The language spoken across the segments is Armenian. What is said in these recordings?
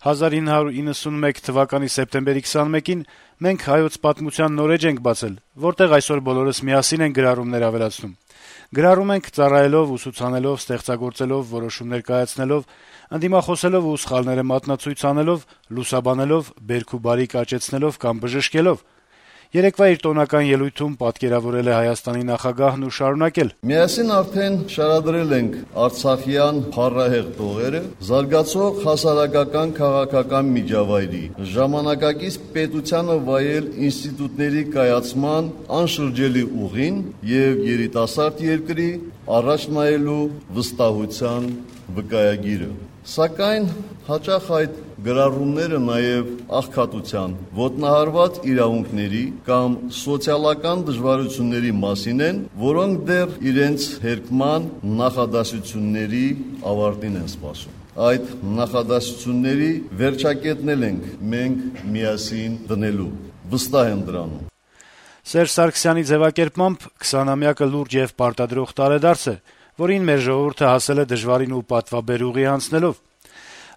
1991 թվականի սեպտեմբերի 21-ին մենք հայոց պատմության նոր էջ ենք բացել, որտեղ այսօր բոլորս միասին են գրառումներ ավելացնում։ Գրառում ենք ծառայելով, ուսուցանելով, ստեղծագործելով, որոշումներ կայացնելով, ընդդիմախոսելով ու սխալները մատնացույց անելով, լուսաբանելով, բերք ու բարիք աճեցնելով կամ բժշկելով։ Երեկվա իր տոնական ելույթում պատկերավորել է Հայաստանի նախագահն ու շարունակել. Միասին արդեն շարադրել ենք արցախյան փառահեղ տողերը, զարգացող հասարակական քաղաքական միջավայրի, ժամանակակից պետությանը վայել ինստիտուտների կայացման անշրջելի ուղին եւ երիտասարդ երկրի առաջ նայելու վստահության վկայագիրը։ Սակայն հաճախ այդ գրառումները նաև աղքատության, ոտնահարված իրավունքների կամ սոցիալական դժվարությունների մասին են, որոնք դեռ իրենց հերկման նախադասությունների ավարտին են սպասում։ Այդ նախադասությունների վերջակետն ենք մենք միասին դնելու։ Վստահ եմ դրանում։ Սերժ Սարգսյանի ձևակերպմամբ 20-ամյակը լուրջ եւ պարտադրող տարեդարձ է, որին մեր ժողովուրդը հասել է դժվարին ու պատվաբեր ուղի անցնելով։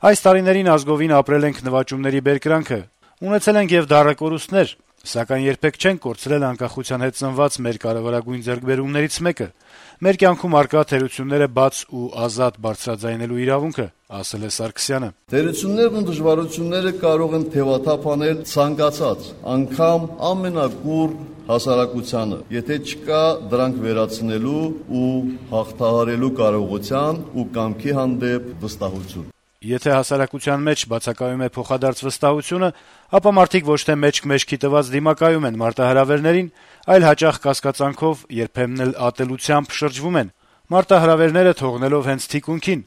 Այս տարիներին ազգովին ապրել ենք նվաճումների բերկրանքը, ունեցել ենք եւ դառակորուստներ, սակայն երբեք չենք կորցրել անկախության հետ ծնված մեր կարեւորագույն ձեռքբերումներից մեկը։ Մեր կյանքում արկա թերությունները բաց ու ազատ բարձրաձայնելու իրավունքը, ասել է Սարգսյանը։ Թերություններն ու դժվարությունները կարող են թևաթափ անել ցանկացած, անգամ ամենակուռ հասարակությանը, եթե չկա դրանք վերացնելու ու հաղթահարելու կարողության ու կամքի հանդեպ վստահություն։ Եթե հասարակության մեջ բացակայում է փոխադարձ վստահությունը, ապա մարդիկ ոչ թե մեջք-մեջքի տված դիմակայում են մարտահրավերներին, այլ հաճախ կասկածանքով, երբեմն էլ ատելությամբ շրջվում են, մարտահրավերները թողնելով հենց թիկունքին։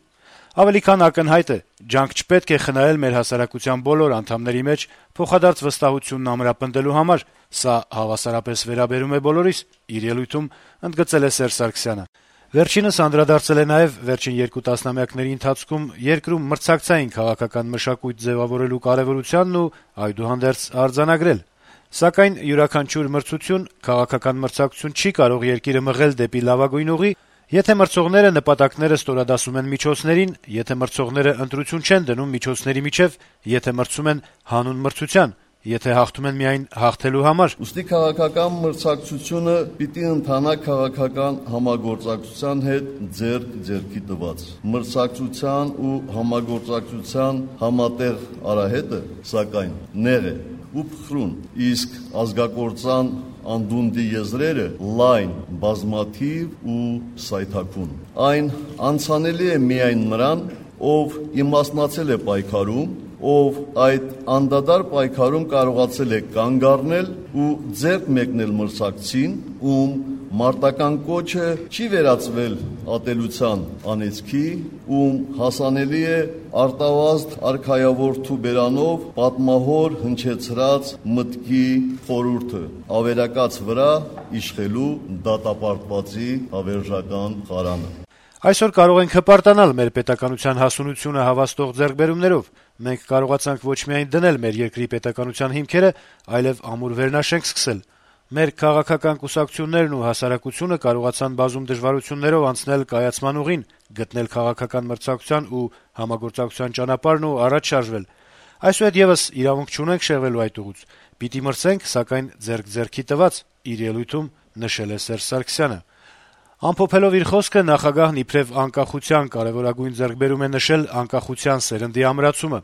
Ավելի քան ակնհայտ է, ջանք չպետք է խնայել մեր հասարակության բոլոր անդամների մեջ փոխադարձ վստահությունն ամրապնդելու համար, սա հավասարապես վերաբերում է բոլորիս, իր ելույթում ընդգծել է Սերժ Սարգսյանը։ Վերջինս անդրադարձել է նաև վերջին 2 տասնամյակների ընթացքում երկրում մրցակցային քաղաքական մշակույթ ձևավորելու կարևորությանն ու այդուհանդերձ արձանագրել։ Սակայն յուրաքանչյուր մրցություն, քաղաքական մրցակցություն չի կարող երկիրը մղել դեպի լավագույն ուղի, եթե մրցողները նպատակները ստորադասում են միջոցներին, եթե մրցողները ընտրություն չեն դնում միջոցների միջև, եթե մրցում են հանուն մրցության, եթե հաղթում են միայն հաղթելու համար։ Ուստի քաղաքական մրցակցությունը պիտի ընթանա քաղաքական համագործակցության հետ ձեռք-ձեռքի տված։ Մրցակցության ու համագործակցության համատեղ արահետը, սակայն, նեղ է ու փխրուն, իսկ ազգակործան անդունդի եզրերը լայն, բազմաթիվ ու սայթաքուն։ Այն անցանելի է միայն նրան, ով իմաստնացել է պայքարում, ով այդ անդադար պայքարում կարողացել է կանգ առնել ու ձեռք մեկնել մրցակցին, ում մարտական կոչը չի վերածվել ատելության անեծքի, ում հասանելի է արտավազդ արքայավորթու բերանով պատմահոր հնչեցրած մտքի խորհուրդը, ավերակաց վրա իշխելու դատապարտվածի հավերժական խարանը։ Այսօր կարող ենք հպարտանալ մեր պետականության հասունությունը հավաստող ձեռքբերումներով։ Մենք կարողացանք ոչ միայն դնել մեր երկրի պետականության հիմքերը, այլև ամուր վերնաշենք սկսել։ Մեր քաղաքական կուսակցություններն ու հասարակությունը կարողացան բազում դժվարություններով անցնել կայացման ուղին, գտնել քաղաքական մրցակցության ու համագործակցության ճանապարհն ու առաջ շարժվել։ Այսուհետ եւս իրավունք չունենք շեղվելու այդ ուղուց։ Պիտի մրցենք, սակայն ձեռք-ձեռքի տված, իր ելույթում նշել է Սերժ Սարգսյանը։ Ամփոփելով իր խոսքը, նախագահն իբրև անկախության կարևորագույն ձեռքբերում է նշել անկախության սերնդի ամրացումը։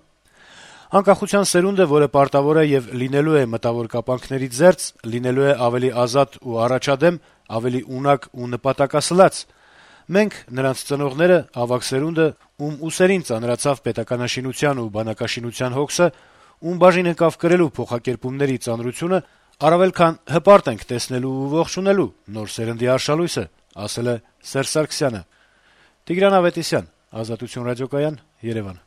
Անկախության սերունդը, որը պարտավոր է եւ լինելու է մտավոր կապանքներից զերծ, լինելու է ավելի ազատ ու առաջադեմ, ավելի ունակ ու նպատակասլաց։ Մենք, նրանց ծնողները, ավագ սերունդը, ում ուսերին ծանրացավ պետականաշինության ու բանակաշինության հոգսը, ում բաժին ընկավ կրելու փոխակերպումների ծանրությունը, առավել քան հպարտ ենք տեսնելու ու ողջունելու նոր սերնդի արշալույսը, ասել է Սերժ Սարգսյանը։ Տիգրան Ավետիսյան, Ազատություն ռադիոկայան, Երևան։